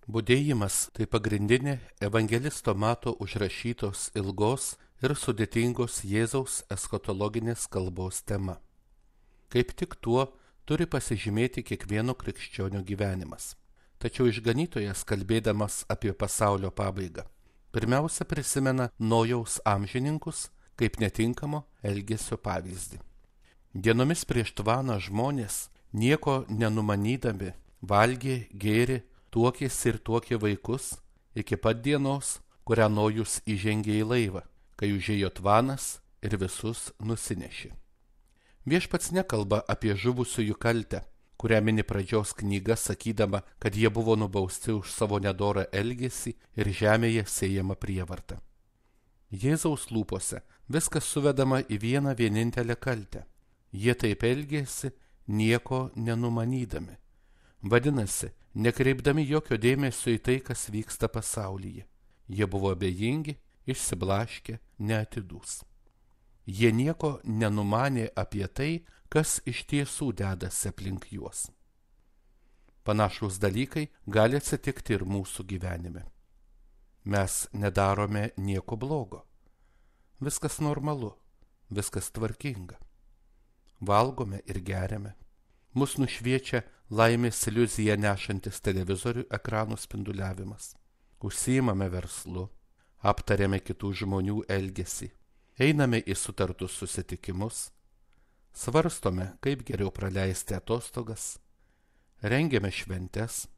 Budėjimas tai pagrindinė evangelisto Mato užrašytos ilgos ir sudėtingos Jėzaus eschatologinės kalbos tema. Kaip tik tuo turi pasižymėti kiekvieno krikščionio gyvenimas. Tačiau išganytojas, kalbėdamas apie pasaulio pabaigą, pirmiausia prisimena Nojaus amžininkus kaip netinkamo elgesio pavyzdį. Dienomis prieš tvaną žmonės, nieko nenumanydami, valgė, gėrė, tuokėsi ir tuokė vaikus iki pat dienos, kurią Nojus įžengė į laivą, kai užėjo tvanas ir visus nusinešė. Viešpats nekalba apie žuvusiųjų kaltę, kurią mini pradžios knyga, sakydama, kad jie buvo nubausti už savo nedorą elgesį ir žemėje sėjama prievarta. Jėzaus lūpose viskas suvedama į vieną vienintelę kaltę. Jie taip elgėsi, nieko nenumanydami. Vadinasi, nekreipdami jokio dėmesio į tai, kas vyksta pasaulyje. Jie buvo abejingi, išsiblaškę, neatidūs. Jie nieko nenumanė apie tai, kas iš tiesų dedasi aplink juos. Panašūs dalykai gali atsitikti ir mūsų gyvenime. Mes nedarome nieko blogo. Viskas normalu, viskas tvarkinga. Valgome ir geriame. Mus nušviečia laimės iliuziją nešantis televizorių ekranų spinduliavimas. Užsiimame verslu, aptariame kitų žmonių elgesį, einame į sutartus susitikimus, svarstome, kaip geriau praleisti atostogas, rengiame šventes,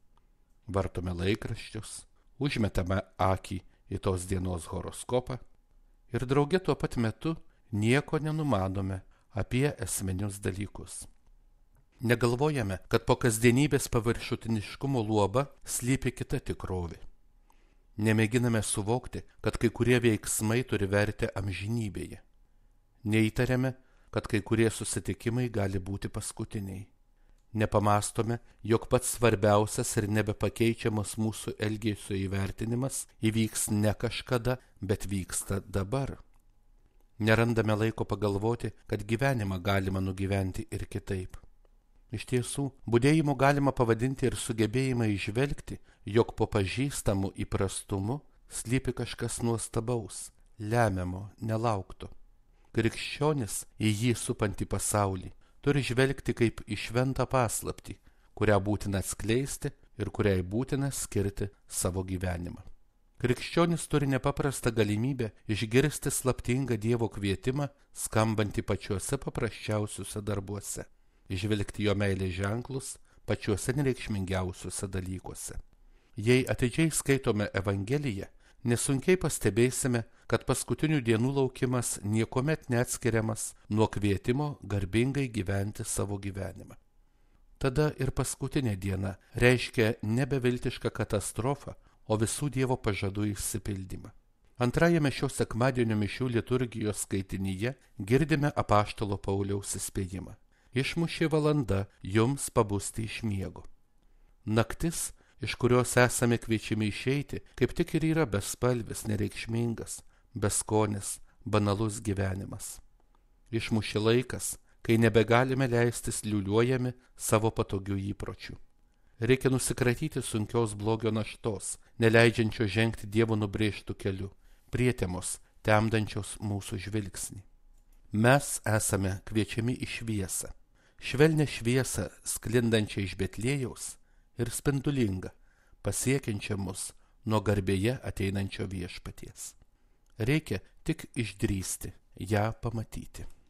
vartome laikraščius, užmetame akį į tos dienos horoskopą ir drauge tuo pat metu nieko nenumanome apie esminius dalykus. Negalvojame, kad po kasdienybės paviršutiniškumo luoba slypi kita tikrovė. Nemėginame suvokti, kad kai kurie veiksmai turi vertę amžinybėje. Neįtariame, kad kai kurie susitikimai gali būti paskutiniai. Nepamastome, jog pats svarbiausias ir nebepakeičiamas mūsų elgesio įvertinimas įvyks ne kažkada, bet vyksta dabar. Nerandame laiko pagalvoti, kad gyvenimą galima nugyventi ir kitaip. Iš tiesų, budėjimu galima pavadinti ir sugebėjimą įžvelgti, jog po pažįstamų įprastumu slypi kažkas nuostabaus, lemiamo, nelaukto. Krikščionis į jį supantį pasaulį turi žvelgti kaip į šventą paslaptį, kurią būtina atskleisti ir kuriai būtina skirti savo gyvenimą. Krikščionis turi nepaprastą galimybę išgirsti slaptingą Dievo kvietimą, skambantį pačiuose paprasčiausiuose darbuose, įžvelgti jo meilės ženklus pačiuose nereikšmingiausiuose dalykuose. Jei atidžiai skaitome Evangeliją, nesunkiai pastebėsime, kad paskutinių dienų laukimas niekuomet neatskiriamas nuo kvietimo garbingai gyventi savo gyvenimą. Tada ir paskutinė diena reiškia nebeviltišką katastrofą, o visų Dievo pažadų išsipildymą. Antrajame šio sekmadienio mišių liturgijos skaitinyje girdime apaštalo Pauliaus įspėjimą. Išmušė valanda jums pabusti iš miego. Naktis, iš kurios esame kviečiami išeiti, kaip tik ir yra bespalvis, nereikšmingas, beskonis, banalus gyvenimas. Išmušė laikas, kai nebegalime leistis liuliuojami savo patogių įpročių. Reikia nusikratyti sunkios blogio naštos, neleidžiančio žengti Dievo nubrėžtų keliu, prietemos, temdančios mūsų žvilgsnį. Mes esame kviečiami į šviesą, švelnią šviesą sklindančią iš Betliejaus ir spindulingą, pasiekiančią mus nuo garbėje ateinančio viešpaties. Reikia tik išdrįsti ją pamatyti.